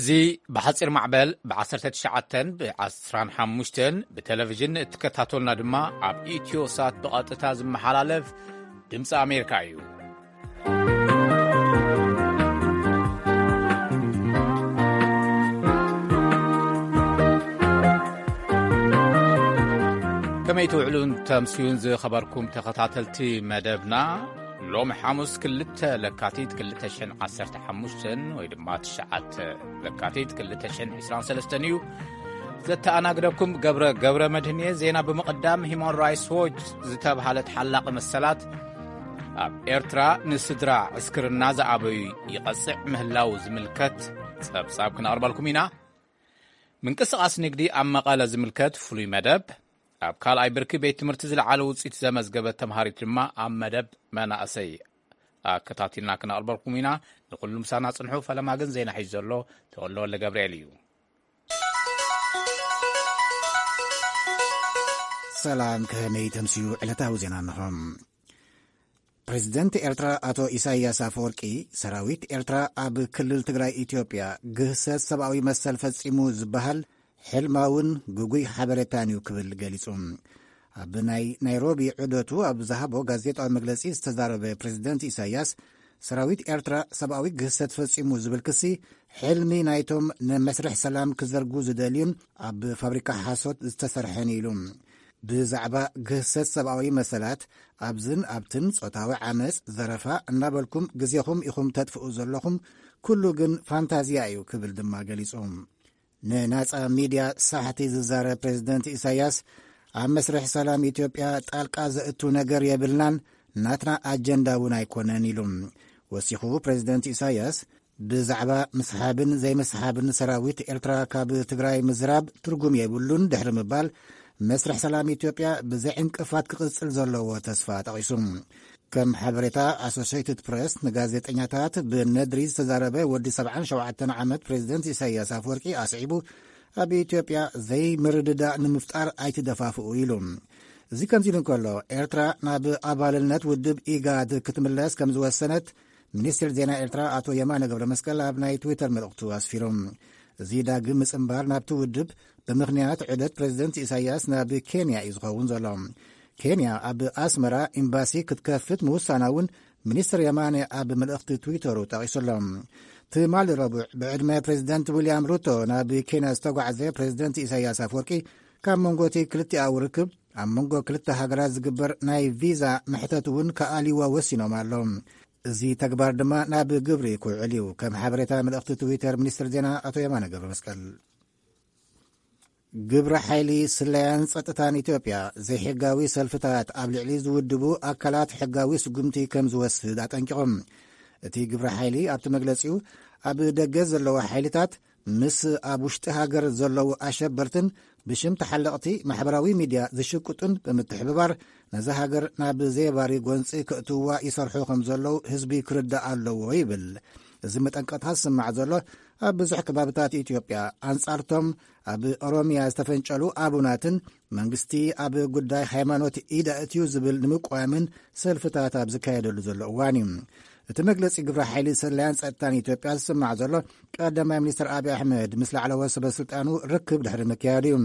እዚ ብሓጺር ማዕበል ብ19ን ብ15ን ብቴሌቪዥን እትከታተሉና ድማ ኣብ ኢትዮ ሳት ብቐጥታ ዝመሓላለፍ ድምፂ ኣሜሪካ እዩ። ከመይ ትውዕሉን ተምስዩን ዝኸበርኩም ተኸታተልቲ መደብና? ሎሚ ሓሙስ ክልተ ለካቲት ክልተ ሽሕን ዓሰርተ ሓሙሽተን ወይ ድማ ትሽዓተ ለካቲት ክልተ ሽሕን ዕስራን ሰለስተን እዩ። ዘተኣናግደኩም ገብረ፣ ገብረ መድህን እየ። ዜና ብምቕዳም፣ ሂማን ራይትስ ዎች ዝተብሃለ ተሓላቒ መሰላት ኣብ ኤርትራ ንስድራ ዕስክርና ዝኣበዩ ይቐጽዕ ምህላው ዝምልከት ጸብጻብ ክነቕርበልኩም ኢና። ምንቅስቓስ ንግዲ ኣብ መቐለ ዝምልከት ፍሉይ መደብ፣ ኣብ ካልኣይ ብርኪ ቤት ትምህርቲ ዝለዓለ ውፅኢት ዘመዝገበት ተምሃሪት ድማ ኣብ መደብ መናእሰይ ኣከታቲልና ክነቕርበልኩም ኢና። ንኹሉ ምሳና ጽንሑ። ፈለማ ግን ዜና ሒዙ ዘሎ ተወልደ ወልደ ገብርኤል እዩ። ሰላም፣ ከመይ ተምስዩ ዕለታዊ ዜና እንሆ። ፕሬዚደንት ኤርትራ ኣቶ ኢሳያስ ኣፈወርቂ፣ ሰራዊት ኤርትራ ኣብ ክልል ትግራይ ኢትዮጵያ ግህሰት ሰብኣዊ መሰል ፈጺሙ ዝበሃል ሕልማውን ግጉይ ሓበሬታን እዩ ክብል ገሊጹ። ኣብ ናይ ናይሮቢ ዑደቱ ኣብ ዝሃቦ ጋዜጣዊ መግለጺ ዝተዛረበ ፕሬዚደንት ኢሳያስ፣ ሰራዊት ኤርትራ ሰብኣዊ ግህሰት ፈጺሙ ዝብል ክሲ ሕልሚ ናይቶም ንመስርሕ ሰላም ክዘርጉ ዝደልዩን ኣብ ፋብሪካ ሓሶት ዝተሰርሐን ኢሉ። ብዛዕባ ግህሰት ሰብኣዊ መሰላት ኣብዝን ኣብትን፣ ጾታዊ ዓመጽ፣ ዘረፋ እናበልኩም ግዜኹም ኢኹም ተጥፍኡ ዘለኹም፣ ኩሉ ግን ፋንታዝያ እዩ ክብል ድማ ገሊጹ። ንናጻ ሚድያ ሳሕቲ ዝዛረብ ፕሬዚደንት ኢሳያስ፣ ኣብ መስርሕ ሰላም ኢትዮጵያ ጣልቃ ዘእቱ ነገር የብልናን፣ ናትና ኣጀንዳ እውን ኣይኮነን ኢሉ። ወሲኹ ፕሬዚደንት ኢሳያስ፣ ብዛዕባ ምስሓብን ዘይምስሓብን ሰራዊት ኤርትራ ካብ ትግራይ ምዝራብ ትርጉም የብሉን ድሕሪ ምባል፣ መስርሕ ሰላም ኢትዮጵያ ብዘይ ዕንቅፋት ክቕጽል ዘለዎ ተስፋ ጠቒሱ። ከም ሓበሬታ ኣሶሼትድ ፕሬስ፣ ንጋዜጠኛታት ብነድሪ ዝተዛረበ ወዲ ሰብዓን ሸውዓተን ዓመት ፕሬዚደንት ኢሳያስ ኣፈወርቂ ኣስዒቡ፣ ኣብ ኢትዮጵያ ዘይምርድዳእ ንምፍጣር ኣይትደፋፍኡ ኢሉ። እዚ ከምዚ ኢሉ እንከሎ፣ ኤርትራ ናብ ኣባልነት ውድብ ኢጋድ ክትምለስ ከም ዝወሰነት ሚኒስትር ዜና ኤርትራ ኣቶ የማነ ገብረ መስቀል ኣብ ናይ ትዊተር መልእኽቱ ኣስፊሩ። እዚ ዳግም ምጽንባር ናብቲ ውድብ ብምኽንያት ዑደት ፕሬዚደንት ኢሳያስ ናብ ኬንያ እዩ ዝኸውን ዘሎ። ኬንያ ኣብ ኣስመራ ኤምባሲ ክትከፍት ምውሳና እውን ሚኒስትር የማነ ኣብ መልእኽቲ ትዊተሩ ጠቒሱ ኣሎ። ትማሊ ረቡዕ ብዕድመ ፕሬዚደንት ዊልያም ሩቶ ናብ ኬንያ ዝተጓዕዘ ፕሬዚደንት ኢሳያስ ኣፈወርቂ፣ ካብ መንጎ እቲ ክልቲኣዊ ርክብ ኣብ መንጎ ክልተ ሃገራት ዝግበር ናይ ቪዛ መሕተት እውን ክኣልይዎ ወሲኖም ኣሎ። እዚ ተግባር ድማ ናብ ግብሪ ክውዕል እዩ። ከም ሓበሬታ መልእኽቲ ትዊተር ሚኒስትር ዜና ኣቶ የማነ ገብረ መስቀል። ግብረ ሓይሊ ስለያን ጸጥታን ኢትዮጵያ ዘይሕጋዊ ሰልፍታት ኣብ ልዕሊ ዝውድቡ ኣካላት ሕጋዊ ስጉምቲ ከም ዝወስድ ኣጠንቂቖም። እቲ ግብረ ሓይሊ ኣብቲ መግለጺኡ፣ ኣብ ደገ ዘለዉ ሓይልታት ምስ ኣብ ውሽጢ ሃገር ዘለዉ ኣሸበርትን ብሽም ተሓለቕቲ ማሕበራዊ ሚድያ ዝሽቅጡን ብምትሕብባር ነዛ ሃገር ናብ ዘየባሪ ጎንፂ ከእትውዋ ይሰርሑ ከም ዘለዉ ህዝቢ ክርዳእ ኣለዎ ይብል። እዚ መጠንቀቕታ ዝስማዕ ዘሎ ኣብ ብዙሕ ከባብታት ኢትዮጵያ ኣንጻርቶም ኣብ ኦሮሚያ ዝተፈንጨሉ ኣቡናትን መንግስቲ ኣብ ጉዳይ ሃይማኖት ኢድ ኣእትዩ ዝብል ንምቋምን ሰልፍታት ኣብ ዝካየደሉ ዘሎ እዋን እዩ። እቲ መግለጺ ግብረ ሓይሊ ስለያን ጸጥታን ኢትዮጵያ ዝስማዕ ዘሎ ቀዳማይ ሚኒስትር ኣብይ ኣሕመድ ምስ ላዕለዎት ሰበ ስልጣኑ ርክብ ድሕሪ ምክያዱ እዩ።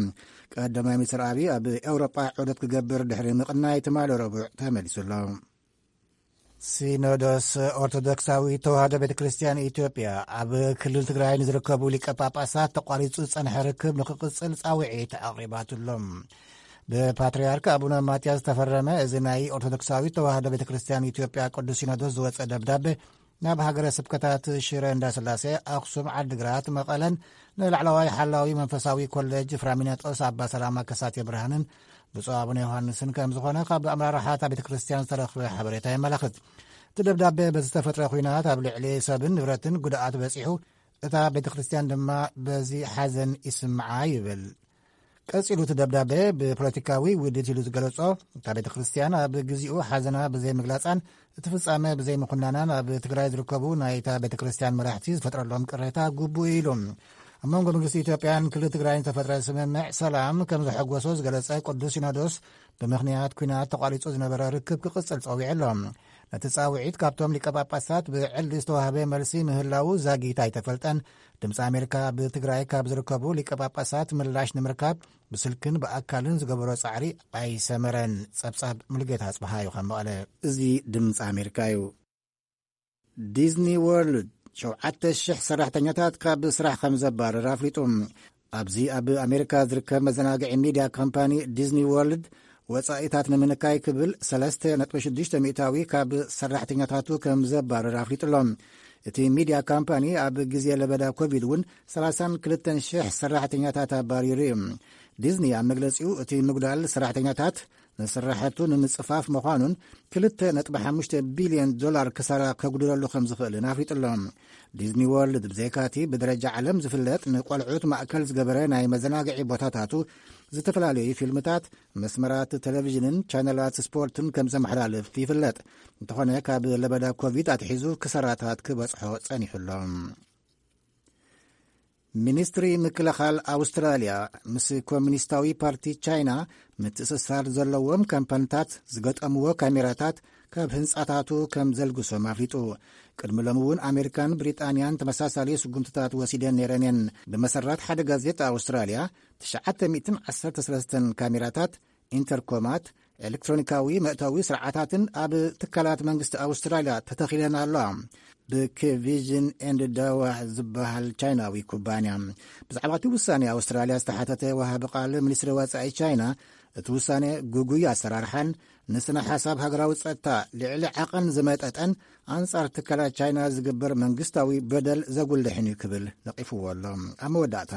ቀዳማይ ሚኒስትር ኣብይ ኣብ ኤውሮጳ ዑደት ክገብር ድሕሪ ምቕናይ ትማሊ ረቡዕ ተመሊሱ ኣሎ። ሲኖዶስ ኦርቶዶክሳዊት ተዋህዶ ቤተ ክርስቲያን ኢትዮጵያ ኣብ ክልል ትግራይ ንዝርከቡ ሊቀ ጳጳሳት ተቋሪጹ ዝጸንሐ ርክብ ንክቕጽል ጻውዒት ኣቕሪባትሎም። ብፓትርያርክ ኣቡነ ማትያስ ዝተፈረመ እዚ ናይ ኦርቶዶክሳዊት ተዋህዶ ቤተ ክርስቲያን ኢትዮጵያ ቅዱስ ሲኖዶስ ዝወጸ ደብዳቤ፣ ናብ ሃገረ ስብከታት ሽረ እንዳስላሴ፣ ኣኽሱም፣ ዓድግራት፣ መቐለን ንላዕለዋይ ሓላዊ መንፈሳዊ ኮሌጅ ፍራሚናጦስ ኣባ ሰላማ ከሳቴ ብርሃንን ብፁዕ ኣቡነ ዮሃንስን ከም ዝኾነ ካብ ኣመራርሓ እታ ቤተ ክርስቲያን ዝተረኽበ ሓበሬታ የመላኽት። እቲ ደብዳቤ በዚ ዝተፈጥረ ኲናት ኣብ ልዕሊ ሰብን ንብረትን ጉድኣት በጺሑ፣ እታ ቤተ ክርስቲያን ድማ በዚ ሓዘን ይስምዓ ይብል። ቀጺሉ እቲ ደብዳቤ ብፖለቲካዊ ውዲት ኢሉ ዝገለጾ፣ እታ ቤተ ክርስቲያን ኣብ ግዚኡ ሓዘና ብዘይምግላጻን እቲ ፍጻመ ብዘይምኹናናን ኣብ ትግራይ ዝርከቡ ናይታ ቤተ ክርስቲያን መራሕቲ ዝፈጥረሎም ቅሬታ ግቡእ ኢሉ። ኣብ መንጎ መንግስቲ ኢትዮጵያን ክልል ትግራይን ዝተፈጥረ ስምምዕ ሰላም ከም ዘሐጎሶ ዝገለጸ ቅዱስ ሲኖዶስ፣ ብምኽንያት ኲናት ተቋሪጹ ዝነበረ ርክብ ክቕጽል ጸዊዑ ኣሎ። ነቲ ጻውዒት ካብቶም ሊቀ ጳጳሳት ብዕሊ ዝተዋህበ መልሲ ምህላዉ ዛጊት ኣይተፈልጠን። ድምፂ ኣሜሪካ ኣብ ትግራይ ካብ ዝርከቡ ሊቀ ጳጳሳት ምላሽ ንምርካብ ብስልክን ብኣካልን ዝገበሮ ጻዕሪ ኣይሰመረን። ጸብጻብ ሙሉጌታ ኣጽብሃ እዩ ካብ መቐለ። እዚ ድምፂ ኣሜሪካ እዩ። ዲዝኒ ወርልድ ሸውዓተ ሽሕ ሰራሕተኛታት ካብ ስራሕ ከም ዘባረር ኣፍሊጡ። ኣብዚ ኣብ ኣሜሪካ ዝርከብ መዘናግዒ ሚድያ ካምፓኒ ዲዝኒ ወርልድ ወጻኢታት ንምንካይ ክብል ሰለስተ ነጥቢ ሽዱሽተ ሚእታዊ ካብ ሰራሕተኛታቱ ከም ዘባረር ኣፍሊጡ ኣሎ። እቲ ሚድያ ካምፓኒ ኣብ ግዜ ለበዳ ኮቪድ እውን ሰላሳን ክልተን ሽሕ ሰራሕተኛታት ኣባሪሩ እዩ። ዲዝኒ ኣብ መግለጺኡ እቲ ምጉዳል ሰራሕተኛታት ንስራሕቱ ንምጽፋፍ ምዃኑን ክልተ ነጥቢ ሓሙሽተ ቢልዮን ዶላር ክሳራ ከጉድለሉ ከም ዝኽእልን ኣፍሊጡ ኣሎ። ዲዝኒ ወርልድ ብዘይካቲ ብደረጃ ዓለም ዝፍለጥ ንቆልዑት ማእከል ዝገበረ ናይ መዘናግዒ ቦታታቱ ዝተፈላለዩ ፊልምታት፣ መስመራት ቴሌቪዥንን ቻነላት ስፖርትን ከም ዘመሓላልፍ ይፍለጥ። እንተኾነ ካብ ለበዳ ኮቪድ ኣትሒዙ ክሳራታት ክበጽሖ ጸኒሑ ኣሎ። ሚኒስትሪ ምክልኻል ኣውስትራልያ ምስ ኮሚኒስታዊ ፓርቲ ቻይና ምትእስሳር ዘለዎም ካምፓኒታት ዝገጠምዎ ካሜራታት ካብ ህንጻታቱ ከም ዘልግሶም ኣፍሊጡ። ቅድሚ ሎሚ እውን ኣሜሪካን ብሪጣንያን ተመሳሳሊ ስጉምትታት ወሲደን ነይረን እየን። ብመሰረት ሓደ ጋዜጣ ኣውስትራልያ፣ ትሽዓተ ሚእትን ዓሰርተ ሰለስተን ካሜራታት፣ ኢንተርኮማት፣ ኤሌክትሮኒካዊ መእተዊ ስርዓታትን ኣብ ትካላት መንግስቲ ኣውስትራልያ ተተኺለን ኣለዋ። ብኬቪዥን ኤንድ ዳዋ ዝበሃል ቻይናዊ ኩባንያ። ብዛዕባ እቲ ውሳኔ ኣውስትራልያ ዝተሓተተ ወሃቢ ቃል ሚኒስትሪ ወጻኢ ቻይና፣ እቲ ውሳኔ ግጉይ ኣሰራርሓን ንስነ ሓሳብ ሃገራዊ ጸጥታ ልዕሊ ዓቐን ዝመጠጠን ኣንጻር ትካላት ቻይና ዝግበር መንግስታዊ በደል ዘጉልሕን እዩ ክብል ነቒፍዎ ኣሎ። ኣብ መወዳእታ፣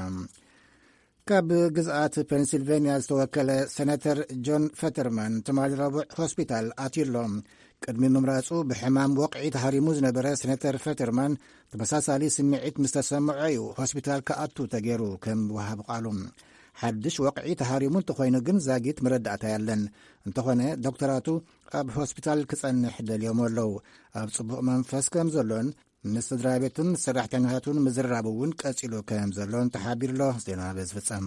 ካብ ግዝኣት ፔንሲልቬንያ ዝተወከለ ሴነተር ጆን ፈተርማን ትማሊ ረቡዕ ሆስፒታል ኣትዩ ኣሎ። ቅድሚ ምምራጹ ብሕማም ወቕዒ ተሃሪሙ ዝነበረ ሴነተር ፈተርማን ተመሳሳሊ ስምዒት ምስ ተሰምዖ እዩ ሆስፒታል ክኣቱ ተገይሩ፣ ከም ወሃቢ ቃሉ። ሓድሽ ወቕዒ ተሃሪሙ እንተኾይኑ ግን ዛጊት መረዳእታ የለን። እንተኾነ ዶክተራቱ ኣብ ሆስፒታል ክጸንሕ ደልዮም ኣለዉ። ኣብ ጽቡቕ መንፈስ ከም ዘሎን ምስ ስድራ ቤቱን ሰራሕተኛታቱን ምዝራብ እውን ቀጺሉ ከም ዘሎን ተሓቢሩ ኣሎ። ዜና በዚ ፍጸም።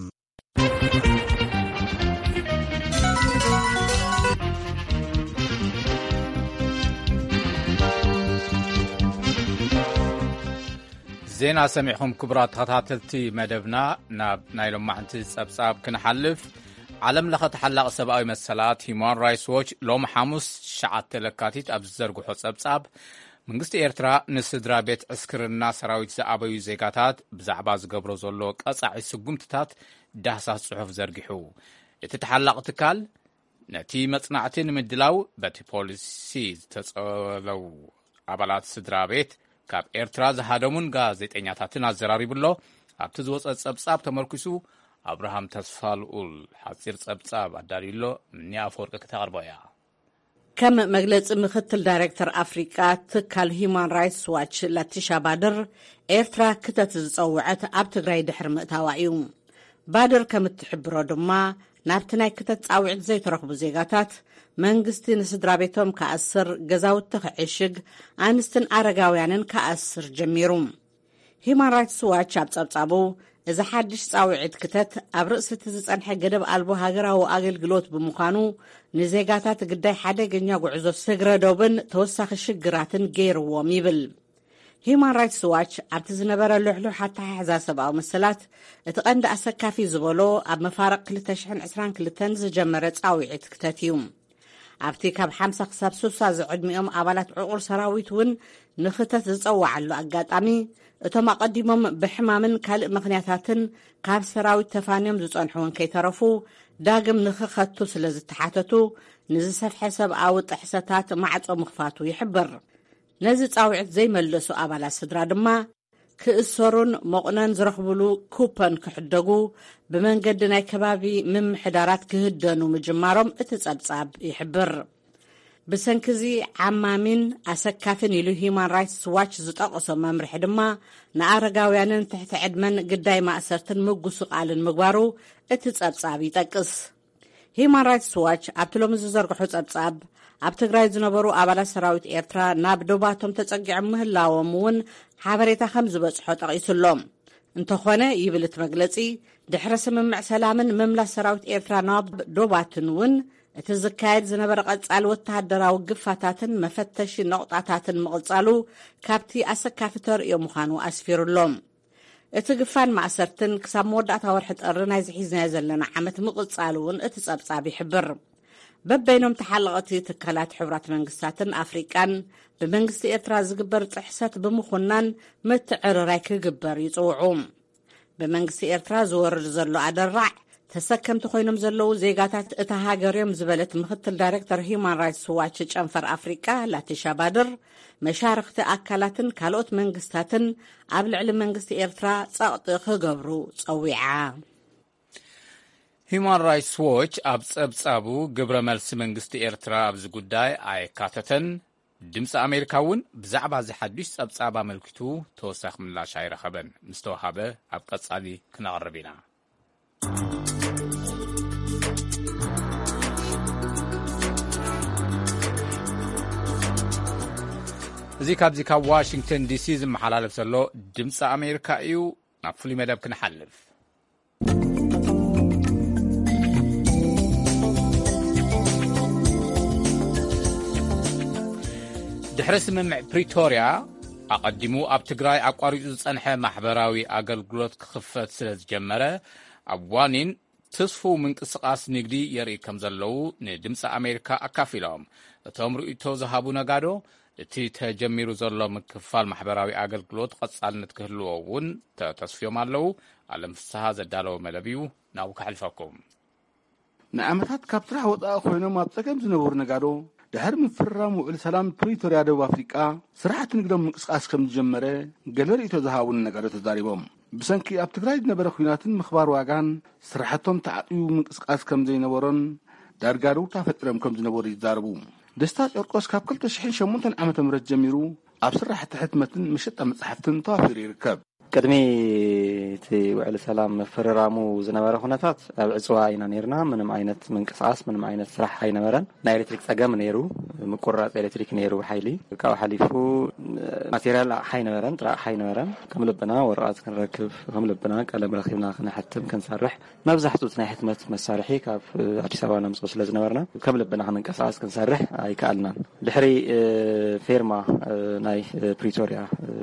ዜና ሰሚዕኹም ክቡራት ተኸታተልቲ መደብና። ናብ ናይ ሎማዕንቲ ጸብጻብ ክንሓልፍ፣ ዓለም ለኸ ተሓላቒ ሰብኣዊ መሰላት ሂዩማን ራይትስ ዎች ሎም ሓሙስ ትሽዓተ ለካቲት ኣብ ዝዘርግሖ ጸብጻብ፣ መንግስቲ ኤርትራ ንስድራ ቤት ዕስክርና ሰራዊት ዝኣበዩ ዜጋታት ብዛዕባ ዝገብሮ ዘሎ ቀጻዒ ስጉምትታት ዳህሳስ ጽሑፍ ዘርጊሑ። እቲ ተሓላቒ ትካል ነቲ መጽናዕቲ ንምድላው በቲ ፖሊሲ ዝተጸለዉ ኣባላት ስድራ ቤት ካብ ኤርትራ ዝሃደሙን ጋዜጠኛታትን ኣዘራሪቡ ኣሎ። ኣብቲ ዝወጸ ጸብጻብ ተመርኪሱ ኣብርሃም ተስፋልኡል ሓጺር ጸብጻብ ኣዳልዩ ኣሎ። ምኒ ኣፈወርቂ ክተቕርቦ እያ። ከም መግለጺ ምክትል ዳይሬክተር ኣፍሪቃ ትካል ሂዩማን ራይትስ ዋች ላቲሻ ባድር፣ ኤርትራ ክተት ዝጸውዐት ኣብ ትግራይ ድሕሪ ምእታዋ እዩ። ባድር ከም እትሕብሮ ድማ፣ ናብቲ ናይ ክተት ጻውዒት ዘይተረኽቡ ዜጋታት መንግስቲ ንስድራ ቤቶም ክኣስር፣ ገዛውቲ ክዕሽግ፣ ኣንስትን ኣረጋውያንን ክኣስር ጀሚሩ። ሂዩማን ራይትስ ዋች ኣብ ጸብጻቡ፣ እዚ ሓድሽ ጻውዒት ክተት ኣብ ርእሲ እቲ ዝጸንሐ ገደብ ኣልቦ ሃገራዊ ኣገልግሎት ብምዃኑ፣ ንዜጋታት ግዳይ ሓደገኛ ጉዕዞ ስግረ ዶብን ተወሳኺ ሽግራትን ገይርዎም ይብል። ሂዩማን ራይትስ ዋች ኣብቲ ዝነበረ ልሕሉሕ ኣተሓሕዛ ሰብኣዊ መሰላት፣ እቲ ቀንዲ ኣሰካፊ ዝበሎ ኣብ መፋርቕ ክልተ ሽሕን ዕስራን ክልተን ዝጀመረ ጻውዒት ክተት እዩ። ኣብቲ ካብ ሓምሳ ክሳብ ስሳ ዝዕድሚኦም ኣባላት ዕቑር ሰራዊት እውን ንኽተት ዝጸዋዓሉ ኣጋጣሚ፣ እቶም ኣቐዲሞም ብሕማምን ካልእ ምኽንያታትን ካብ ሰራዊት ተፋንዮም ዝጸንሑ እውን ከይተረፉ፣ ዳግም ንኽኸቱ ስለ ዝተሓተቱ፣ ንዝሰፍሐ ሰብኣዊ ጥሕሰታት ማዕጾ ምኽፋቱ ይሕብር። ነዚ ጻውዒት ዘይመለሱ ኣባላት ስድራ ድማ፣ ክእሰሩን መቑነን ዝረኽብሉ ኩፐን ክሕደጉ፣ ብመንገዲ ናይ ከባቢ ምምሕዳራት ክህደኑ ምጅማሮም እቲ ጸብጻብ ይሕብር። ብሰንኪዚ ዓማሚን ኣሰካፊን ኢሉ ሂዩማን ራይትስ ዋች ዝጠቐሶ መምርሒ ድማ፣ ንኣረጋውያንን ትሕቲ ዕድመን ግዳይ ማእሰርትን ምጉስቓልን ምግባሩ እቲ ጸብጻብ ይጠቅስ። ሂዩማን ራይትስ ዋች ኣብቲ ሎሚ ዝዘርግሖ ጸብጻብ፣ ኣብ ትግራይ ዝነበሩ ኣባላት ሰራዊት ኤርትራ ናብ ዶባቶም ተጸጊዖም ምህላዎም እውን ሓበሬታ ከም ዝበጽሖ ጠቒሱ ኣሎ። እንተኾነ፣ ይብል እቲ መግለጺ፣ ድሕሪ ስምምዕ ሰላምን ምምላስ ሰራዊት ኤርትራ ናብ ዶባትን እውን እቲ ዝካየድ ዝነበረ ቀጻሊ ወተሃደራዊ ግፋታትን መፈተሺ ነቑጣታትን ምቕጻሉ ካብቲ ኣሰካፊ ተርእዮ ምዃኑ ኣስፊሩሎም። እቲ ግፋን ማእሰርትን ክሳብ መወዳእታ ወርሒ ጥሪ ናይዚ ሒዝናዮ ዘለና ዓመት ምቕጻሉ እውን እቲ ጸብጻብ ይሕብር። በበይኖም ተሓለቐቲ ትካላት ሕቡራት መንግስታትን ኣፍሪቃን ብመንግስቲ ኤርትራ ዝግበር ጥሕሰት ብምኹናን ምትዕርራይ ክግበር ይጽውዑ። ብመንግስቲ ኤርትራ ዝወርድ ዘሎ ኣደራዕ ተሰከምቲ ኮይኖም ዘለዉ ዜጋታት እታ ሃገር እዮም ዝበለት ምክትል ዳይሬክተር ሂዩማን ራይትስ ዋች ጨንፈር ኣፍሪቃ ላቲሻ ባድር፣ መሻርኽቲ ኣካላትን ካልኦት መንግስታትን ኣብ ልዕሊ መንግስቲ ኤርትራ ጸቕጢ ክገብሩ ጸዊዓ። ሂዩማን ራይትስ ዎች ኣብ ጸብጻቡ፣ ግብረ መልሲ መንግስቲ ኤርትራ ኣብዚ ጉዳይ ኣየካተተን። ድምፂ ኣሜሪካ እውን ብዛዕባ እዚ ሓዱሽ ጸብጻብ ኣመልኪቱ ተወሳኺ ምላሽ ኣይረኸበን። ምስ ተወሃበ ኣብ ቀጻሊ ክነቕርብ ኢና። እዚ ካብዚ ካብ ዋሽንግተን ዲሲ ዝመሓላለፍ ዘሎ ድምፂ ኣሜሪካ እዩ። ናብ ፍሉይ መደብ ክንሓልፍ። ድሕሪ ስምምዕ ፕሪቶርያ፣ ኣቐዲሙ ኣብ ትግራይ ኣቋሪጹ ዝጸንሐ ማሕበራዊ ኣገልግሎት ክኽፈት ስለ ዝጀመረ፣ ኣብ ዋኒን ትስፉው ምንቅስቓስ ንግዲ የርኢ ከም ዘለዉ ንድምፂ ኣሜሪካ ኣካፊሎም። እቶም ርእይቶ ዝሃቡ ነጋዶ፣ እቲ ተጀሚሩ ዘሎ ምክፋል ማሕበራዊ ኣገልግሎት ቐጻልነት ክህልዎ እውን ተተስፍዮም ኣለዉ። ኣለም ፍስሃ ዘዳለዎ መደብ እዩ፣ ናብኡ ከሕልፈኩም። ንዓመታት ካብ ስራሕ ወጻኢ ኮይኖም ኣብ ጸገም ዝነበሩ ነጋዶ፣ ድሕሪ ምፍርራም ውዕል ሰላም ፕሪቶርያ ደቡብ ኣፍሪቃ፣ ስራሕቲ ንግዶም ምንቅስቃስ ከም ዝጀመረ ገለ ርእይቶ ዝሃቡን ነጋዶ ተዛሪቦም። ብሰንኪ ኣብ ትግራይ ዝነበረ ኲናትን ምኽባር ዋጋን፣ ስራሕቶም ተዓጽዩ ምንቅስቃስ ከም ዘይነበሮን፣ ዳርጋ ደውታ ፈጢሮም ከም ዝነበሩ ይዛረቡ። ደስታ ጨርቆስ ካብ ክልተ ሽሕን ሸሞንተን ዓመተ ምህረት ጀሚሩ ኣብ ስራሕቲ ሕትመትን መሸጣ መጻሕፍትን ተዋፊሩ ይርከብ። ቅድሚ እቲ ውዕሊ ሰላም ምፍርራሙ ዝነበረ ኩነታት ኣብ ዕጽዋ ኢና ነይርና። ምንም ዓይነት ምንቅስቓስ፣ ምንም ዓይነት ስራሕ ኣይነበረን። ናይ ኤሌክትሪክ ጸገም ነይሩ፣ ምቁርራጽ ኤሌክትሪክ ነይሩ ሓይሊ። ካብኡ ሓሊፉ ማቴርያል ኣቕሓ ኣይነበረን፣ ጥረ ኣቕሓ ኣይነበረን። ከም ልብና ወረቐት ክንረክብ፣ ከም ልብና ቀለም ረኺብና ክነሕትም፣ ክንሰርሕ፣ መብዛሕትኡ እቲ ናይ ሕትመት መሳርሒ ካብ ኣዲስ ኣበባ ነምጽኦ ስለ ዝነበርና፣ ከም ልብና ክንንቀሳቐስ ክንሰርሕ ኣይከኣልናን። ድሕሪ፣ እ፣ ፌርማ፣ እ፣ ናይ፣ እ፣ ፕሪቶርያ፣ እ፣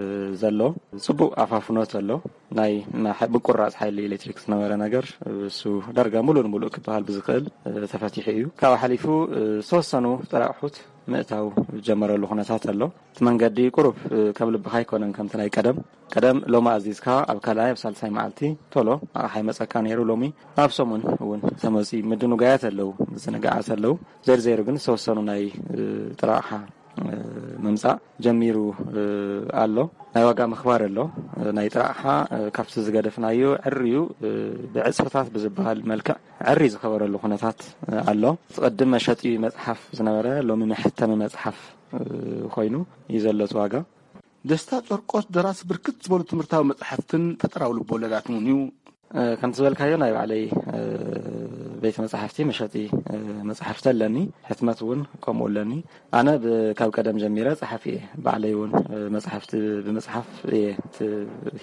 ዘሎ ጽቡቕ ኣፋፍኖት ኣሎ። ናይ፣ ና-፣ ሓ-፣ ምቁራጽ ሓይሊ ኤሌክትሪክ ዝነበረ ነገር፣ እ፣ እሱ ዳርጋ ምሉእ ንምሉእ ክበሃል ብዝኽእል፣ እ፣ ተፈቲሑ እዩ። ካብኡ ሓሊፉ፣ እ፣ ዝተወሰኑ ጥረ ኣቑሑት ምእታው ዝጀመረሉ ኩነታት ኣሎ። እቲ መንገዲ ቁሩብ፣ እ፣ ከም ልብኻ ኣይኮነን ከምቲ ናይ ቀደም። ቀደም ሎሚ ኣዚዝካ ኣብ ካልኣይ ኣብ ሳልሳይ መዓልቲ ቶሎ ኣቕሓ ይመጸካ ነይሩ። ሎሚ ኣብ ሰሙን እውን ተመጺኡ ምድንጓያት ኣለዉ፣ ምዝንጋዓት ኣለዉ። ዘይሩ ዘይሩ ግን ዝተወሰኑ ናይ፣ እ፣ ጥረ ኣቕሓ፣ እ፣ ምምጻእ ጀሚሩ፣ እ፣ ኣሎ። ናይ ዋጋ ምኽባር ኣሎ። እ፣ ናይ ጥረ ኣቕሓ፣ እ፣ ካብቲ ዝገደፍናዮ ዕርዩ፣ እ፣ ብዕጽፍታት ብዝበሃል መልክዕ ዕሪ ዝኸበረሉ ኩነታት፣ እ፣ ኣሎ። እቲ ቅድም መሸጢ መጽሓፍ ዝነበረ ሎሚ መሐተሚ መጽሓፍ፣ እ፣ ኮይኑ እዩ ዘሎ እቲ ዋጋ። ደስታ ጨርቆስ ደራሲ ብርክት ዝበሉ ትምህርታዊ መጻሕፍትን ፈጠራዊ ልቦለዳትን እውን እዩ። እ፣ ከምቲ ዝበልካዮ ናይ ባዕለይ፣ እ፣ ቤት መጻሕፍቲ መሸጢ፣ እ፣ መጻሕፍቲ ኣለኒ፣ ሕትመት እውን ከምኡ ኣለኒ። ኣነ ብ-፣ ካብ ቀደም ጀሚረ ጸሓፊ እየ። ባዕለይ እውን፣ እ፣ መጻሕፍቲ ብምጽሓፍ እየ እቲ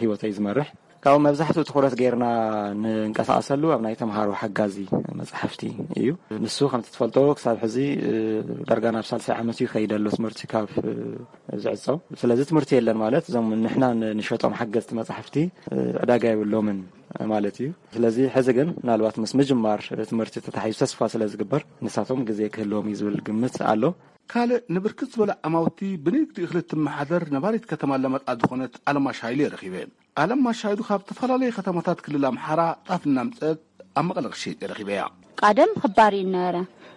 ህይወተይ ዝመርሕ። ካብኡ መብዛሕትኡ ትኹረት ጌርና ንንቀሳቐሰሉ ኣብ ናይ ተምሃሮ ሓጋዚ መጻሕፍቲ እዩ። ንሱ ከምቲ ትፈልጦ ክሳብ ሕዚ፣ እ፣ ዳርጋ ናብ ሳልሳይ ዓመት እዩ ይኸይድ ኣሎ ትምህርቲ ካብ፣ እ፣ ዝዕጾ። ስለዚ ትምህርቲ የለን ማለት እዞም ንሕና ን-፣ ንሸጦም ሓገዝቲ መጻሕፍቲ፣ እ፣ ዕዳጋ የብሎምን ማለት እዩ። ስለዚ ሕዚ ግን ምናልባት ምስ ምጅማር ትምህርቲ ተታሒዙ ተስፋ ስለ ዝግበር ንሳቶም ግዜ ክህልዎም እዩ ዝብል ግምት ኣሎ። ካልእ ንብርክት ዝበለ ዓማውቲ ብንግዲ እኽሊ እትመሓደር ነባሪት ከተማ ኣለማጣ ዝኾነት ኣለማሽ ሃይለ ረኺበ። ኣለማሽ ሃይሉ ካብ ዝተፈላለዩ ከተማታት ክልል ኣምሓራ ጣፍ እናምፀት ኣብ መቐለ ክሸይጥ ረኺበያ። ቀደም ክባር እዩ ነበረ።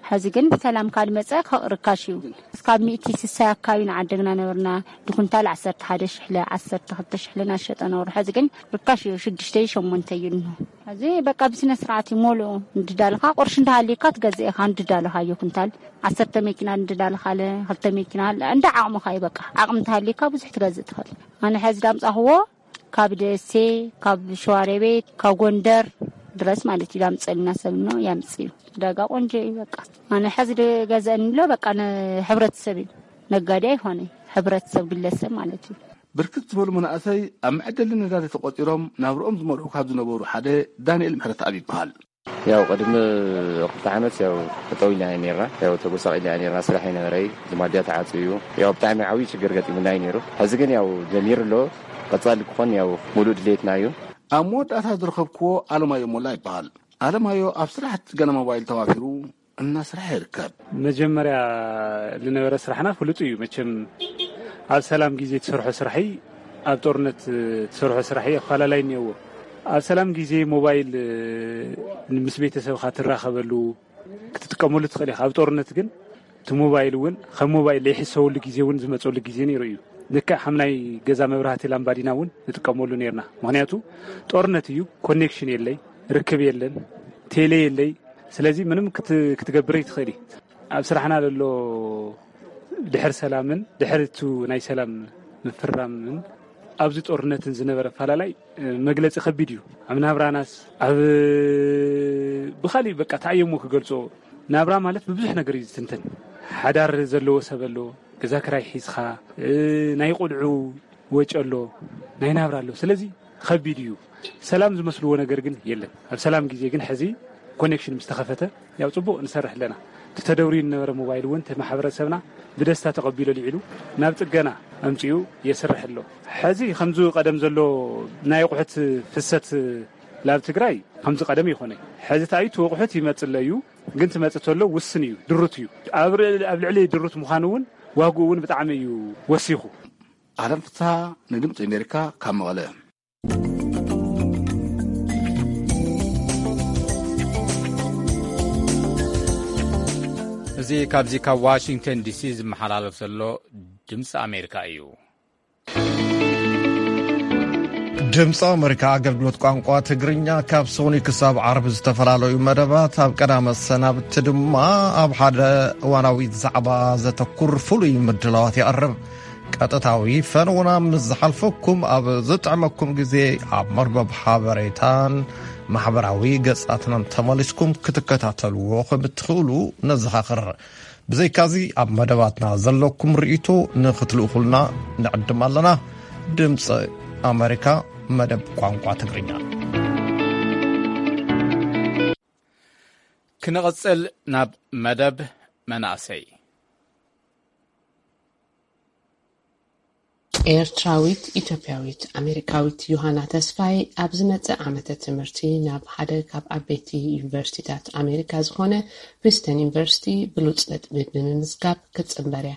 ሕዚ ግን ብሰላም ካልመፀ ርካሽ እዩ። እስካብ ሚእቲ ስሳይ ኣካባቢ ንዓደግና ነበርና። ድኩንታል ዓሰርተ ሓደ ሽሕለ፣ ዓሰርተ ክልተ ሽሕለ እናሸጠ ነበሩ። ሕዚ ግን ርካሽ እዩ፣ ሽዱሽተ ሸሞንተ እዩ እንሆ። ሕዚ በቃ ብስነ ስርዓት እዩ ሞልኡ። እንድዳልኻ ቁርሽ እንዳሃልየካ ትገዝእ ኢኻ፣ እንድዳልኻዮ ኩንታል ዓሰርተ መኪና እንድዳልኻለ፣ ክልተ መኪና፣ እንዳ ዓቕምኻ እዩ በቃ። ዓቕሚ እንተሃልየካ ብዙሕ ትገዝእ ትኽእል። ኣነ ሕዚ ዳምፃኽዎ ካብ ደሴ፣ ካብ ሸዋሮቤት፣ ካብ ጎንደር ድረስ ማለት እዩ። ዳምፀልና ሰብ ነው ያምፅዩ። ዕዳጋ ቆንጆ እዩ በቃ። ኣነ ሕዚ ዝገዘአኒ ኣሎ በቃ ንሕብረተሰብ እዩ። ነጋዴ ኣይኾነ፣ ሕብረተሰብ ግለሰብ ማለት እዩ። ብርክት ዝበሉ መናእሰይ ኣብ መዐደሊ ነዳዲ ተቆፂሮም ናብርኦም ዝመርሑ ካብ ዝነበሩ ሓደ ዳንኤል ምሕረተኣብ ይበሃል። ያው ቅድሚ ክልተ ዓመት ያው ጠጠው ኢልና ኢና ነርና። ያው ተጎሳቒልና ኢና ነርና። ስራሕ ኣይነበረይ፣ ዝማድያ ተዓጽዩ። ያው ብጣዕሚ ዓብዪ ሽግር ገጢሙና እዩ ነይሩ። ሕዚ ግን ያው ጀሚሩ ኣሎ። ቀጻሊ ክኾን ያው ሙሉእ ድሌትና እዩ። ኣብ መወዳእታ ዝረኸብክዎ ኣለማዮ ሞላ ይበሃል። ኣለማዮ ኣብ ስራሕቲ ገና ሞባይል ተዋፊሩ እናስርሐ ይርከብ። መጀመርያ ዝነበረ ስራሕና ፍሉጥ እዩ። መቸም ኣብ ሰላም ግዜ ትሰርሖ ስራሒ ኣብ ጦርነት ትሰርሖ ስራሒ ኣፈላላይ እኒኦዎ። ኣብ ሰላም ግዜ ሞባይል ምስ ቤተሰብካ ትራኸበሉ ክትጥቀመሉ ትኽእል ኢኻ። ኣብ ጦርነት ግን እቲ ሞባይል እውን ከም ሞባይል ዘይሕሰበሉ ግዜ እውን ዝመፀሉ ግዜ ነይሩ እዩ። ልክዕ ከም ናይ ገዛ መብራህቲ ላምባዲና እውን ንጥቀመሉ ነርና። ምክንያቱ ጦርነት እዩ፣ ኮኔክሽን የለይ፣ ርክብ የለን፣ ቴሌ የለይ። ስለዚ ምንም ክት- ክትገብር ይትኽእል እዩ። ኣብ ስራሕና ዘሎ ድሕር ሰላምን ድሕር እቱ ናይ ሰላም ምፍራምን ኣብዚ ጦርነትን ዝነበረ ኣፈላላይ መግለጺ ከቢድ እዩ። ኣብ ናብራናስ ኣብ ብኻሊእ በቃ ተኣየሞ ክገልጾ። ናብራ ማለት ብብዙሕ ነገር እዩ ዝትንተን። ሓዳር ዘለዎ ሰብ ኣሎ፣ ገዛ ክራይ ሒዝኻ፣ ናይ ቆልዑ ወጪ ኣሎ፣ ናይ ናብራ ኣሎ። ስለዚ ከቢድ እዩ። ሰላም ዝመስልዎ ነገር ግን የለን። ኣብ ሰላም ግዜ ግን ሕዚ ኮኔክሽን ምስ ተኸፈተ ያው ጽቡቕ ንሰርሕ ኣለና። እቲ ተደውርዩ ዝነበረ ሞባይል እውን እቲ ማሕበረሰብና ብደስታ ተቐቢሉ ኣልዒሉ ናብ ጽገና ኣምጺኡ የስርሕ ኣሎ። ሕዚ ከምዚ ቀደም ዘሎ ናይ ኣቑሑት ፍሰት ላብ ትግራይ ከምዚ ቀደም ይኾነ። ሕዚ ተኣይቱ ኣቑሑት ይመጽእ ኣሎ እዩ፣ ግን ትመጽእ ተሎ ውስን እዩ፣ ድሩት እዩ። ኣብ ር- ኣብ ልዕሊ ድሩት ምዃኑ እውን ዋግኡ እውን ብጣዕሚ እዩ ወሲኹ። ኣለም ፍስሃ ንድምፂ ኣሜሪካ ካብ መቐለ። እዚ ካብዚ ካብ ዋሽንግተን ዲሲ ዝመሓላለፍ ዘሎ ድምፂ ኣሜሪካ እዩ። ድምፂ ኣሜሪካ ኣገልግሎት ቋንቋ ትግርኛ ካብ ሰኑይ ክሳብ ዓርቢ ዝተፈላለዩ መደባት፣ ኣብ ቀዳመ ሰናብቲ ድማ ኣብ ሓደ እዋናዊ ዛዕባ ዘተኩር ፍሉይ ምድላዋት የቕርብ። ቀጥታዊ ፈነውና ምስ ዝሓልፈኩም ኣብ ዝጥዕመኩም ግዜ ኣብ መርበብ ሓበሬታን ማሕበራዊ ገጻትናን ተመሊስኩም ክትከታተልዎ ከም እትኽእሉ ነዘኻኽር። ብዘይካዚ ኣብ መደባትና ዘለኩም ርእይቶ ንኽትልእኹልና ንዕድም ኣለና። ድምፂ ኣሜሪካ መደብ ቋንቋ ትግርኛ። ክንቕጽል ናብ መደብ መናእሰይ። ኤርትራዊት ኢትዮጵያዊት ኣሜሪካዊት ዮሃና ተስፋይ ኣብ ዝመጽእ ዓመተ ትምህርቲ ናብ ሓደ ካብ ዓበይቲ ዩኒቨርሲቲታት ኣሜሪካ ዝኾነ ፕሪስተን ዩኒቨርሲቲ ብሉጽ ነጥቢ ብምምዝጋብ ክትጽንበር እያ።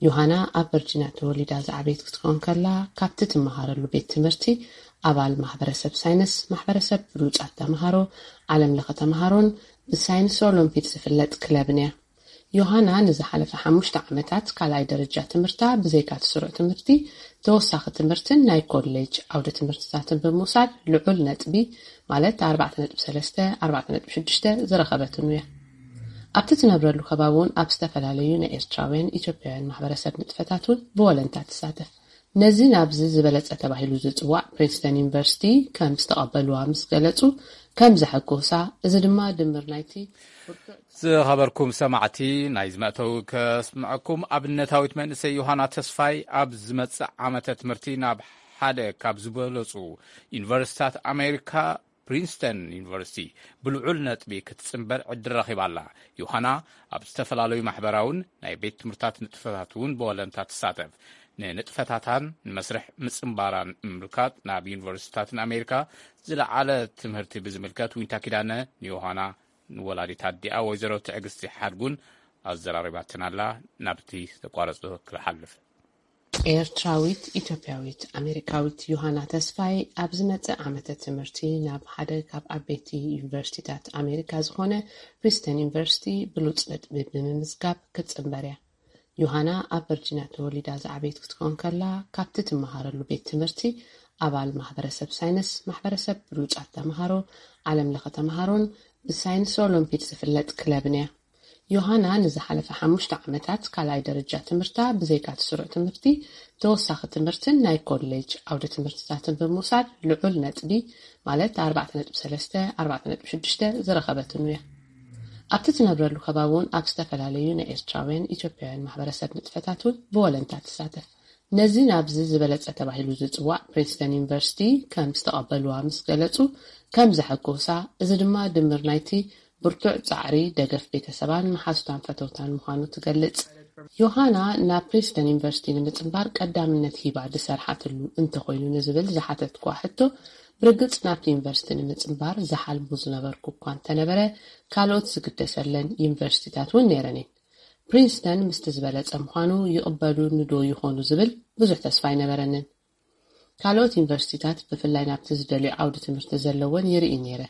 ዮሃና ኣብ ቨርጂንያ ተወሊዳ ዝዓበየት ክትከውን ከላ፣ ካብቲ ትመሃረሉ ቤት ትምህርቲ ኣባል ማሕበረሰብ ሳይንስ፣ ማሕበረሰብ ብሉጻት ተምሃሮ፣ ዓለም ለኸ ተምሃሮን ብሳይንስ ኦሎምፒድ ዝፍለጥ ክለብን እያ። ዮሃና ንዝሓለፈ ሓሙሽተ ዓመታት ካልኣይ ደረጃ ትምህርታ ብዘይካ እቲ ስሩዕ ትምህርቲ ተወሳኺ ትምህርትን ናይ ኮሌጅ ዓውደ ትምህርትታትን ብምውሳድ ልዑል ነጥቢ ማለት ኣርባዕተ ነጥቢ ሰለስተ ኣርባዕተ ነጥቢ ሽዱሽተ ዝረኸበትኑ እያ። ኣብቲ ትነብረሉ ከባቢ እውን ኣብ ዝተፈላለዩ ናይ ኤርትራውያን ኢትዮጵያውያን ማሕበረሰብ ንጥፈታት እውን ብወለንታ ትሳተፍ። ነዚ ናብዚ ዝበለጸ ተባሂሉ ዝጽዋዕ ፕሪንስተን ዩኒቨርሲቲ ከም ዝተቐበልዋ ምስ ገለጹ ከም ዘሐጎሳ፣ እዚ ድማ ድምር ናይቲ ዝኸበርኩም ሰማዕቲ፣ ናይ ዝመእተዊ ከስምዐኩም። ኣብነታዊት መንእሰይ ዮሃና ተስፋይ ኣብ ዝመጽእ ዓመተ ትምህርቲ ናብ ሓደ ካብ ዝበለጹ ዩኒቨርሲታት ኣሜሪካ ፕሪንስተን ዩኒቨርሲቲ ብልዑል ነጥቢ ክትጽንበር ዕድል ረኺባ ኣላ። ዮሃና ኣብ ዝተፈላለዩ ማሕበራውን ናይ ቤት ትምህርታት ንጥፈታት እውን ብወለንታ ትሳተፍ። ንንጥፈታታን ንመስርሕ ምጽንባራን ምምልካት ናብ ዩኒቨርሲታትን ኣሜሪካ ዝለዓለ ትምህርቲ ብዝምልከት ዊንታ ኪዳነ ንዮሃና ንወላዲት ኣዲኣ ወይዘሮ ትዕግስቲ ሓድጉን ኣዘራሪባትን ኣላ። ናብቲ ዘቋረጽ ክሓልፍ። ኤርትራዊት ኢትዮጵያዊት ኣሜሪካዊት ዮሃና ተስፋይ ኣብ ዝመጽእ ዓመተ ትምህርቲ ናብ ሓደ ካብ ዓበይቲ ዩኒቨርሲቲታት ኣሜሪካ ዝኾነ ፕሪስተን ዩኒቨርሲቲ ብሉጽ ነጥቢ ብምምዝጋብ ክትጽንበር እያ። ዮሃና ኣብ ቨርጂንያ ተወሊዳ ዝዓበየት ክትከውን ከላ፣ ካብቲ ትመሃረሉ ቤት ትምህርቲ ኣባል ማሕበረሰብ ሳይንስ፣ ማሕበረሰብ ብሉጻት ተምሃሮ፣ ዓለም ለኸ ተምሃሮን ብሳይንስ ኦሎምፒድ ዝፍለጥ ክለብን እያ። ዮሃና ንዝሓለፈ ሓሙሽተ ዓመታት ካልኣይ ደረጃ ትምህርታ ብዘይካ እቲ ስሩዕ ትምህርቲ ተወሳኺ ትምህርትን ናይ ኮሌጅ ዓውደ ትምህርትታትን ብምውሳድ ልዑል ነጥቢ ማለት ኣርባዕተ ነጥቢ ሰለስተ ኣርባዕተ ነጥቢ ሽዱሽተ ዝረኸበትኑ እያ። ኣብቲ ትነብረሉ ከባቢ እውን ኣብ ዝተፈላለዩ ናይ ኤርትራውያን ኢትዮጵያውያን ማሕበረሰብ ንጥፈታት እውን ብወለንታ ትሳተፍ። ነዚ ናብዚ ዝበለጸ ተባሂሉ ዝጽዋዕ ፕሪንስተን ዩኒቨርሲቲ ከም ዝተቐበልዋ ምስ ገለጹ፣ ከም ዘሐጎሳ፣ እዚ ድማ ድምር ናይቲ ብርቱዕ ጻዕሪ፣ ደገፍ ቤተሰባን መሓዙታን ፈተውታን ምዃኑ ትገልጽ። ዮሃና ናብ ፕሪንስተን ዩኒቨርሲቲ ንምጽንባር ቀዳምነት ሂባ ዝሰርሓትሉ እንተኾይኑ ንዝብል ዝሓተትኳ ሕቶ፣ ብርግጽ ናብቲ ዩኒቨርሲቲ ንምጽንባር ዝሓልሙ ዝነበርኩ እኳ እንተነበረ፣ ካልኦት ዝግደሰለን ዩኒቨርሲቲታት እውን ነይረን እየን። ፕሪንስተን ምስቲ ዝበለጸ ምዃኑ ይቕበሉኒ ዶ ይኾኑ ዝብል ብዙሕ ተስፋ ኣይነበረንን። ካልኦት ዩኒቨርሲቲታት ብፍላይ ናብቲ ዝደልዮ ዓውዲ ትምህርቲ ዘለወን ይርኢ ነይረ።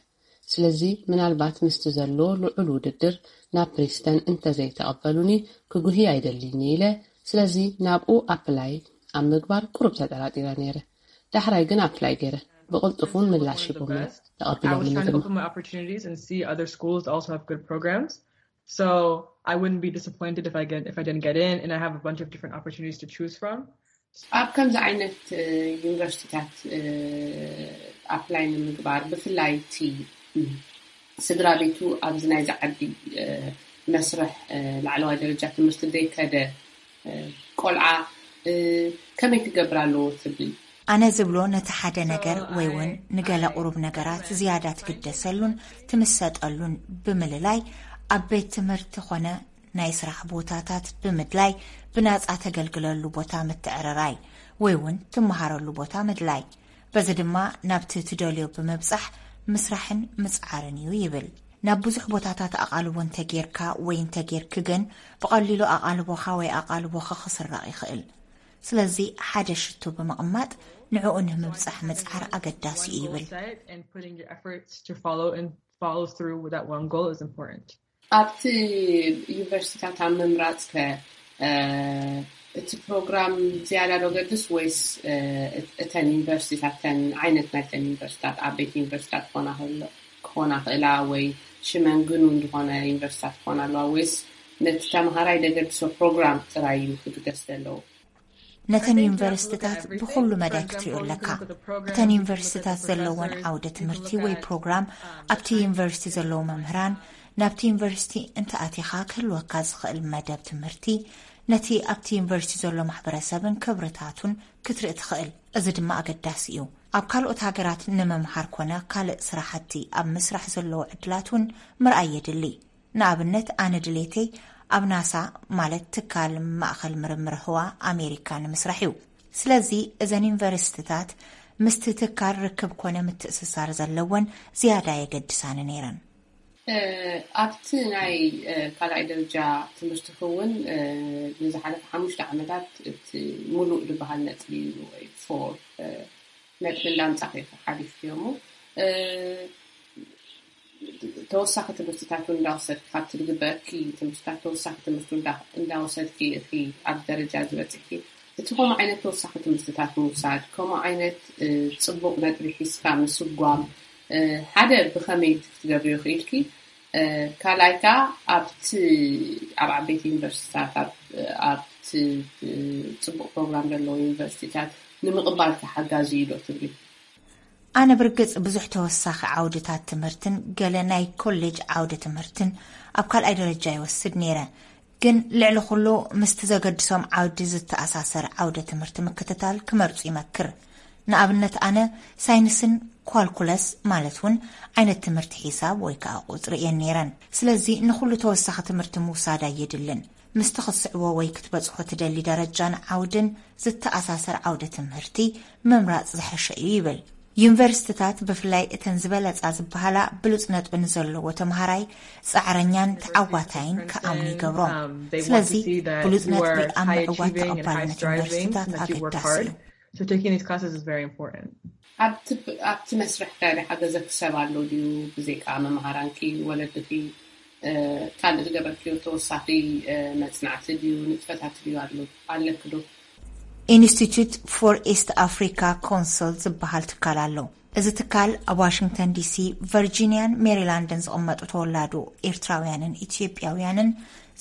ስለዚ ምናልባት ምስቲ ዘሎ ልዑል ውድድር ናብ ፕሪንስተን እንተዘይተቐበሉኒ ክጉህይ ኣይደልይን ኢለ። ስለዚ ናብኡ ኣፕላይ ኣብ ምግባር ቁሩብ ተጠራጢረ ነይረ። ዳሕራይ ግን ኣፕላይ ገይረ። ብቕልጡፍ እውን ምላሽ ሂቦምኒ፣ ተቐቢሎምኒ ድማ። So I wouldn't be disappointed if I get if I didn't get in, and I have a bunch of different opportunities to choose from. ኣብ ከምዚ ዓይነት ዩኒቨርሲቲታት ኣፕላይ ንምግባር፣ ብፍላይ እቲ ስድራ ቤቱ ኣብዚ ናይዚ ዓዲ መስርሕ ላዕለዋይ ደረጃ ትምህርቲ ዘይከደ ቆልዓ ከመይ ክገብር ኣለዎ ትብል? ኣነ ዝብሎ፣ ነቲ ሓደ ነገር ወይ እውን ንገለ ቁሩብ ነገራት ዝያዳ ትግደሰሉን ትምሰጠሉን ብምልላይ፣ ኣብ ቤት ትምህርቲ ኾነ ናይ ስራሕ ቦታታት ብምድላይ፣ ብናጻ ተገልግለሉ ቦታ ምትዕርራይ ወይ እውን ትመሃረሉ ቦታ ምድላይ። በዚ ድማ ናብቲ ትደልዮ ብምብጻሕ ምስራሕን ምጽዓርን እዩ ይብል። ናብ ብዙሕ ቦታታት ኣቓልቦ እንተጌርካ ወይ እንተጌርኪ ግን፣ ብቐሊሉ ኣቓልቦኻ ወይ ኣቓልቦኺ ክስረቕ ይኽእል። ስለዚ ሓደ ሽቶ ብምቕማጥ ንዕኡ ንምብጻሕ ምጽዓር ኣገዳሲ እዩ ይብል። Follow through with that one goal is important. ኣብቲ ዩኒቨርሲቲታት ኣብ ምምራጽ ከ እቲ ፕሮግራም ዝያዳ ዶ ገድስ ወይስ እተን ዩኒቨርሲቲታት፣ እተን ዓይነት ናይተን ዩኒቨርሲቲታት፣ ዓበይቲ ዩኒቨርሲቲታት ክኾና ክእላ ወይ ሽመን ግኑን ዝኾነ ዩኒቨርሲቲታት ክኾና ኣለዋ ወይስ ነቲ ተምሃራይ ደገድሶ ፕሮግራም ጥራይ እዩ ክግደስ ዘለዎ? ነተን ዩኒቨርሲቲታት ብኹሉ መዳይ ክትሪኦ ኣለካ። እተን ዩኒቨርሲቲታት ዘለወን ዓውደ ትምህርቲ ወይ ፕሮግራም፣ ኣብቲ ዩኒቨርሲቲ ዘለዉ መምህራን፣ ናብቲ ዩኒቨርሲቲ እንተኣቲኻ ክህልወካ ዝኽእል መደብ ትምህርቲ፣ ነቲ ኣብቲ ዩኒቨርሲቲ ዘሎ ማሕበረሰብን ክብርታቱን ክትርኢ ትኽእል። እዚ ድማ ኣገዳሲ እዩ። ኣብ ካልኦት ሃገራት ንምምሃር ኮነ ካልእ ስራሕቲ ኣብ ምስራሕ ዘለዉ ዕድላት እውን ምርኣይ የድሊ። ንኣብነት፣ ኣነ ድሌተይ ኣብ ናሳ፣ ማለት ትካል ማእኸል ምርምር ህዋ ኣሜሪካ ንምስራሕ እዩ። ስለዚ እዘን ዩኒቨርሲቲታት ምስቲ ትካል ርክብ ኮነ ምትእስሳር ዘለወን ዝያዳ የገድሳኒ ነይረን። ኣብቲ ናይ ካልኣይ ደረጃ ትምህርቲ ክውን ንዝሓለፈ ሓሙሽተ ዓመታት እቲ ሙሉእ ዝበሃል ነጥቢ ወይ ፎር ነጥቢ እንዳምጻኺ ሓሊፍክዮ እሞ ተወሳኺ ትምህርትታት እውን እንዳወሰድኪ፣ ካብቲ ዝግበረኪ ትምህርትታት ተወሳኺ ትምህርቲ እንዳወሰድኪ ኢኺ ኣብ ደረጃ ዝበፅሕኪ። እቲ ከምኡ ዓይነት ተወሳኺ ትምህርትታት ምውሳድ፣ ከምኡ ዓይነት ፅቡቕ ነጥቢ ሒዝካ ምስጓም፣ ሓደ ብኸመይ ክትገብርዮ ክኢልኪ፣ ካልኣይ ከዓ ኣብቲ ኣብ ዓበይቲ ዩኒቨርሲቲታት ኣብቲ ፅቡቕ ፕሮግራም ዘለዎ ዩኒቨርሲቲታት ንምቕባል ተሓጋዚ እዩ ዶ ትብሊ? ኣነ ብርግጽ ብዙሕ ተወሳኺ ዓውድታት ትምህርትን ገለ ናይ ኮሌጅ ዓውደ ትምህርትን ኣብ ካልኣይ ደረጃ ይወስድ ነይረ። ግን ልዕሊ ኩሉ ምስቲ ዘገድሶም ዓውዲ ዝተኣሳሰር ዓውደ ትምህርቲ ምክትታል ክመርጹ ይመክር። ንኣብነት ኣነ ሳይንስን ኳልኩለስ ማለት እውን ዓይነት ትምህርቲ ሒሳብ ወይ ከዓ ቁጽሪ እየን ነይረን። ስለዚ ንኹሉ ተወሳኺ ትምህርቲ ምውሳድ ኣየድልን። ምስቲ ክትስዕቦ ወይ ክትበጽሖ ትደሊ ደረጃን ዓውድን ዝተኣሳሰር ዓውደ ትምህርቲ ምምራጽ ዝሐሸ እዩ ይብል። ዩኒቨርሲቲታት ብፍላይ እተን ዝበለጻ ዝበሃላ ብሉጽ ነጥቢ ንዘለዎ ተምሃራይ ጻዕረኛን ተዓዋታይን ክኣምኑ ይገብሮም። ስለዚ ብሉጽ ነጥቢ ኣብ ምዕዋት ተቐባልነት ዩኒቨርሲቲታት ኣገዳሲ እዩ። So taking these classes is very important. ኣብቲ መስርሕ ከ ሓገዘኪ ሰብ ኣሎ ድዩ? ብዘይካ መምሃራንኪ፣ ወለድኺ፣ ካልእ ዝገበርክዮ ተወሳኺ መጽናዕቲ ድዩ፣ ንጥፈታት ድዩ ኣሎ ኣለኪ ዶ? Institute for East Africa Council ዝበሃል ትካል ኣሎ። እዚ ትካል ኣብ ዋሽንግተን ዲሲ፣ ቨርጂኒያን ሜሪላንድን ዝቕመጡ ተወላዶ ኤርትራውያንን ኢትዮጵያውያንን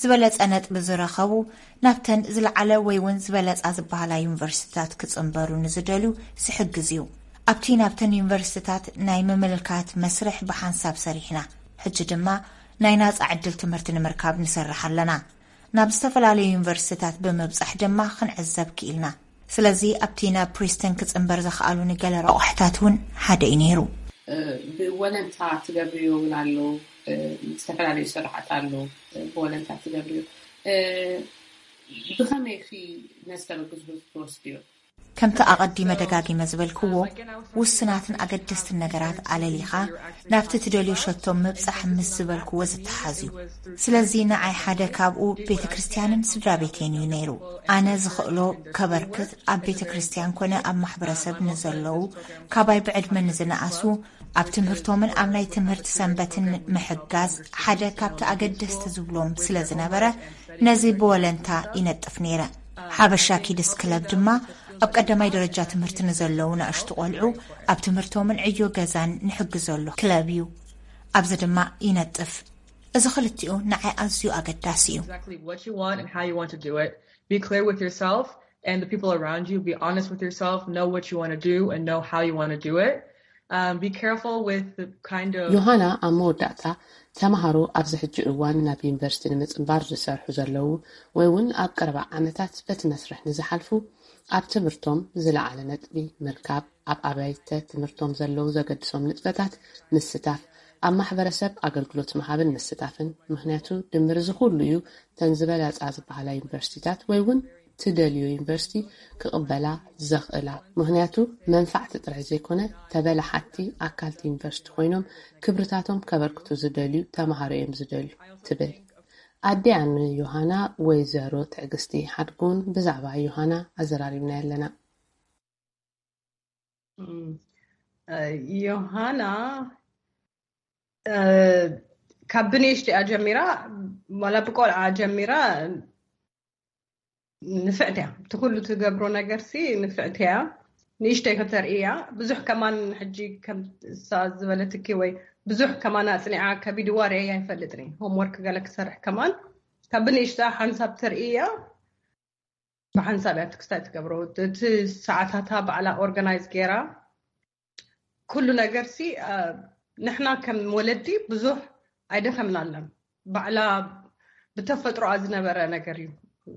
ዝበለጸ ነጥቢ ዝረኸቡ ናብተን ዝለዓለ ወይ እውን ዝበለጻ ዝበሃላ ዩኒቨርሲቲታት ክጽንበሩ ንዝደልዩ ዝሕግዝ እዩ። ኣብቲ ናብተን ዩኒቨርሲቲታት ናይ ምምልካት መስርሕ ብሓንሳብ ሰሪሕና። ሕጂ ድማ ናይ ናጻ ዕድል ትምህርቲ ንምርካብ ንሰርሕ ኣለና። ናብ ዝተፈላለዩ ዩኒቨርሲቲታት ብምብጻሕ ድማ ክንዕዘብ ክኢልና። ስለዚ ኣብቲ ናብ ፕሪስተን ክጽንበር ዘኽኣሉኒ ገለ ረቑሕታት እውን ሓደ እዩ ነይሩ። ብወለንታ ትገብርዮ እውን ኣሎ። ዝተፈላለዩ ስራሓት ኣሎ። ብወለንታ ትገብርዮ። ብኸመይ ኺ ነዚ ተበግዝቡ ትወስድዮ? ከምቲ ኣቐዲመ ደጋጊመ ዝበልክዎ፣ ውስናትን ኣገደስትን ነገራት ኣለሊኻ ናብቲ ትደልዮ ሸቶ ምብጻሕ ምስ ዝበልክዎ ዝተሓዝ እዩ። ስለዚ ንዓይ ሓደ ካብኡ ቤተ ክርስቲያንን ስድራ ቤቴን እዩ ነይሩ። ኣነ ዝኽእሎ ከበርክት ኣብ ቤተ ክርስቲያን ኮነ ኣብ ማሕበረሰብ ንዘለዉ፣ ካባይ ብዕድመ ንዝነኣሱ ኣብ ትምህርቶምን ኣብ ናይ ትምህርቲ ሰንበትን ምሕጋዝ ሓደ ካብቲ ኣገደስቲ ዝብሎም ስለ ዝነበረ፣ ነዚ ብወለንታ ይነጥፍ ነይረ። ሓበሻ ኪድስ ክለብ ድማ ኣብ ቀዳማይ ደረጃ ትምህርቲ ንዘለዉ ንኣሽቱ ቆልዑ ኣብ ትምህርቶምን ዕዮ ገዛን ንሕግዘሉ ክለብ እዩ። ኣብዚ ድማ ይነጥፍ። እዚ ክልቲኡ ንዓይ ኣዝዩ ኣገዳሲ እዩ። Exactly what you want and how you want to do it. Be clear with yourself and the people around you. Be honest with yourself. Know what you want to do and know how you want to do it. Um, be careful with the kind of ዮሃና ኣብ መወዳእታ፣ ተምሃሮ ኣብዚ ሕጂ እዋን ናብ ዩኒቨርሲቲ ንምጽንባር ዝሰርሑ ዘለዉ ወይ እውን ኣብ ቀረባ ዓመታት በቲ መስርሕ ንዝሓልፉ፣ ኣብ ትምህርቶም ዝለዓለ ነጥቢ ምርካብ፣ ኣብ ኣብያተ ትምህርቶም ዘለዉ ዘገድሶም ንጥፈታት ምስታፍ፣ ኣብ ማሕበረሰብ ኣገልግሎት ምሃብን ምስታፍን። ምኽንያቱ ድምር እዚ ኩሉ እዩ ተን ዝበለጻ ዝበሃላ ዩኒቨርሲቲታት ወይ እውን ትደልዮ ዩኒቨርሲቲ ክቕበላ ዘኽእላ። ምኽንያቱ መንፋዕቲ ጥራሕ ዘይኮነ፣ ተበላሓቲ ኣካልቲ ዩኒቨርሲቲ ኮይኖም ክብርታቶም ከበርክቱ ዝደልዩ ተምሃሮ እዮም ዝደልዩ ትብል። ኣዲኣ ንዮሃና ወይዘሮ ትዕግስቲ ሓድጉን ብዛዕባ ዮሃና ኣዘራሪብና ኣለና። ዮሃና ካብ ብንእሽትያ ጀሚራ፣ ዋላ ብቆልዓ ጀሚራ ንፍዕቲ እያ። እቲ ኩሉ ትገብሮ ነገርሲ ንፍዕቲ እያ። ንእሽተይ ከተርኢ እያ። ብዙሕ ከማን ሕጂ ከምሳ ዝበለትኪ ወይ ብዙሕ ከማን ኣፅኒዓ ከቢድዋ ርእየ ኣይፈልጥን። ሆምወርክ ገለ ክሰርሕ ከማን ካብ ብንእሽታ ሓንሳብ ተርኢ እያ። ብሓንሳብ እያ ክስታይ ትገብሮ። እቲ ሰዓታታ ባዕላ ኦርጋናይዝ ገይራ ኩሉ ነገር ሲ ንሕና ከም ወለዲ ብዙሕ ኣይደኸምናለን። ባዕላ ብተፈጥሮኣ ዝነበረ ነገር እዩ።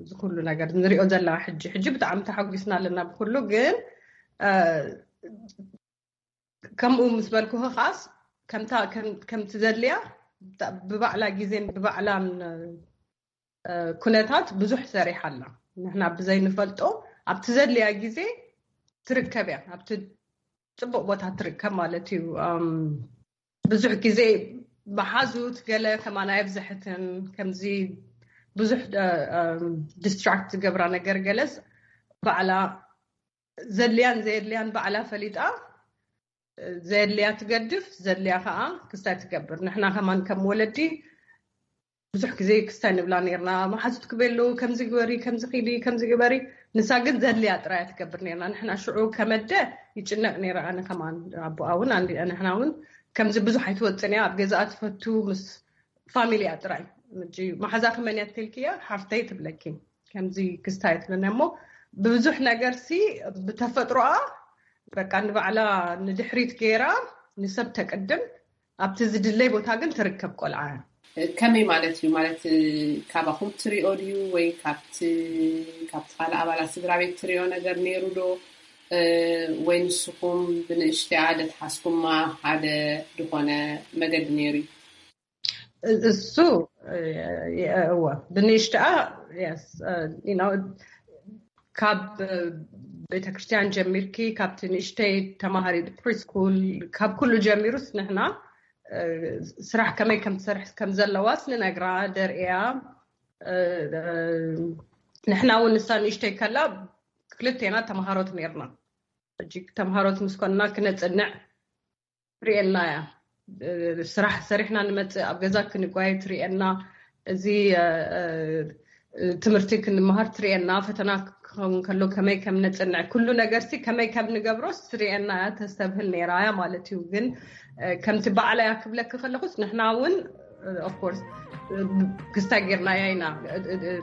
እዚ ኩሉ ነገር ንሪኦ ዘለና ሕጂ ሕጂ ብጣዕሚ ተሓጒስና ኣለና ብኩሉ። ግን ከምኡ ምስ በልኩ ከዓስ ከምታ ከምቲ ዘድልያ ብባዕላ ግዜን ብባዕላን ኩነታት ብዙሕ ሰሪሓ ኣላ። ንሕና ብዘይንፈልጦ ኣብቲ ዘድልያ ግዜ ትርከብ እያ። ኣብቲ ፅቡቅ ቦታ ትርከብ ማለት እዩ። ብዙሕ ግዜ መሓዙት ገለ ከማን ኣየብዝሐትን ከምዚ ብዙሕ ዲስትራክት ዝገብራ ነገር ገለስ ባዕላ ዘድልያን ዘየድልያን ባዕላ ፈሊጣ ዘድልያ ትገድፍ፣ ዘድልያ ከዓ ክስታይ ትገብር። ንሕና ከማን ከም ወለዲ ብዙሕ ግዜ ክስታይ ንብላ ነርና። መሓዙት ክበሉ ከምዚ ግበሪ፣ ከምዚ ኺዲ፣ ከምዚ ግበሪ። ንሳ ግን ዘድልያ ጥራያ ትገብር ነርና። ንሕና ሽዑ ከመደ ይጭነቅ ነይረ። ኣነ ከማን ኣቦኣ እውን ንሕና እውን ከምዚ ብዙሕ ኣይትወፅን እያ። ኣብ ገዛኣ ትፈቱ ምስ ፋሚሊያ ጥራይ። መሓዛ ክመን እያ ትልክያ ሓፍተይ ትብለኪ። ከምዚ ክስታይ ትብለና እሞ ብብዙሕ ነገር ሲ ብተፈጥሮኣ በቃ ንባዕላ ንድሕሪት ገይራ ንሰብ ተቅድም ኣብቲ ዝድለይ ቦታ ግን ትርከብ ቆልዓ። ከመይ ማለት እዩ? ማለት ካባኹም ትሪኦ ድዩ ወይ ካብቲ ካብቲ ካልእ ኣባላት ስድራ ቤት ትሪኦ ነገር ነይሩ ዶ? ወይ ንስኹም ብንእሽተያ ደትሓስኩማ ሓደ ዝኾነ መገዲ ነይሩ እዩ? እሱ እወ ብንእሽተኣ yes you know ካብ ቤተክርስትያን ጀሚርኪ ካብቲ ንእሽተይ ተማሃሪ ፕሪስኩል ካብ ኩሉ ጀሚሩስ ንሕና ስራሕ ከመይ ከም ትሰርሕ ከም ዘለዋስ ንነግራ ደርእያ። ንሕና እውን ንሳ ንእሽተይ ከላ ክልቴና ተምሃሮት ነርና። ሕጂ ተምሃሮት ምስ ኮንና ክነፅንዕ ትርእየና እያ። ስራሕ ሰሪሕና ንመፅእ ኣብ ገዛ ክንጓየ ትርእየና። እዚ ትምህርቲ ክንመሃር ትርእየና። ፈተና ክኸውን ከሎ ከመይ ከም ነፅንዕ ኩሉ ነገርሲ ከመይ ከም ንገብሮስ ትርእየና እያ፣ ተስተብህል ነይራ እያ ማለት እዩ። ግን ከምቲ ባዕላ እያ ክብለኪ ከለኹስ ንሕና እውን ኦፍኮርስ ክስታይ ጌርናያ ኢና።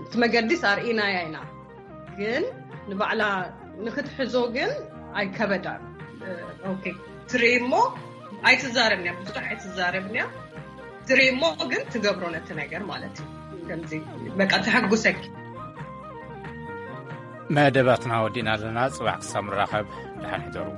እቲ መገዲስ ኣርኢናያ ኢና። ግን ንባዕላ ንክትሕዞ ግን ኣይከበዳን። ትርኢ እሞ ኣይትዛረብን እያ፣ ብዙሕ ኣይትዛረብን እያ። ትርኢ እሞ ግን ትገብሮ ነቲ ነገር ማለት እዩ። ከምዚ በቃ ተሐጉሰኪ። መደባትና ወዲእና ኣለና። ጽባሕ ክሳብ ንራኸብ፣ ደሓን ሕደሩ።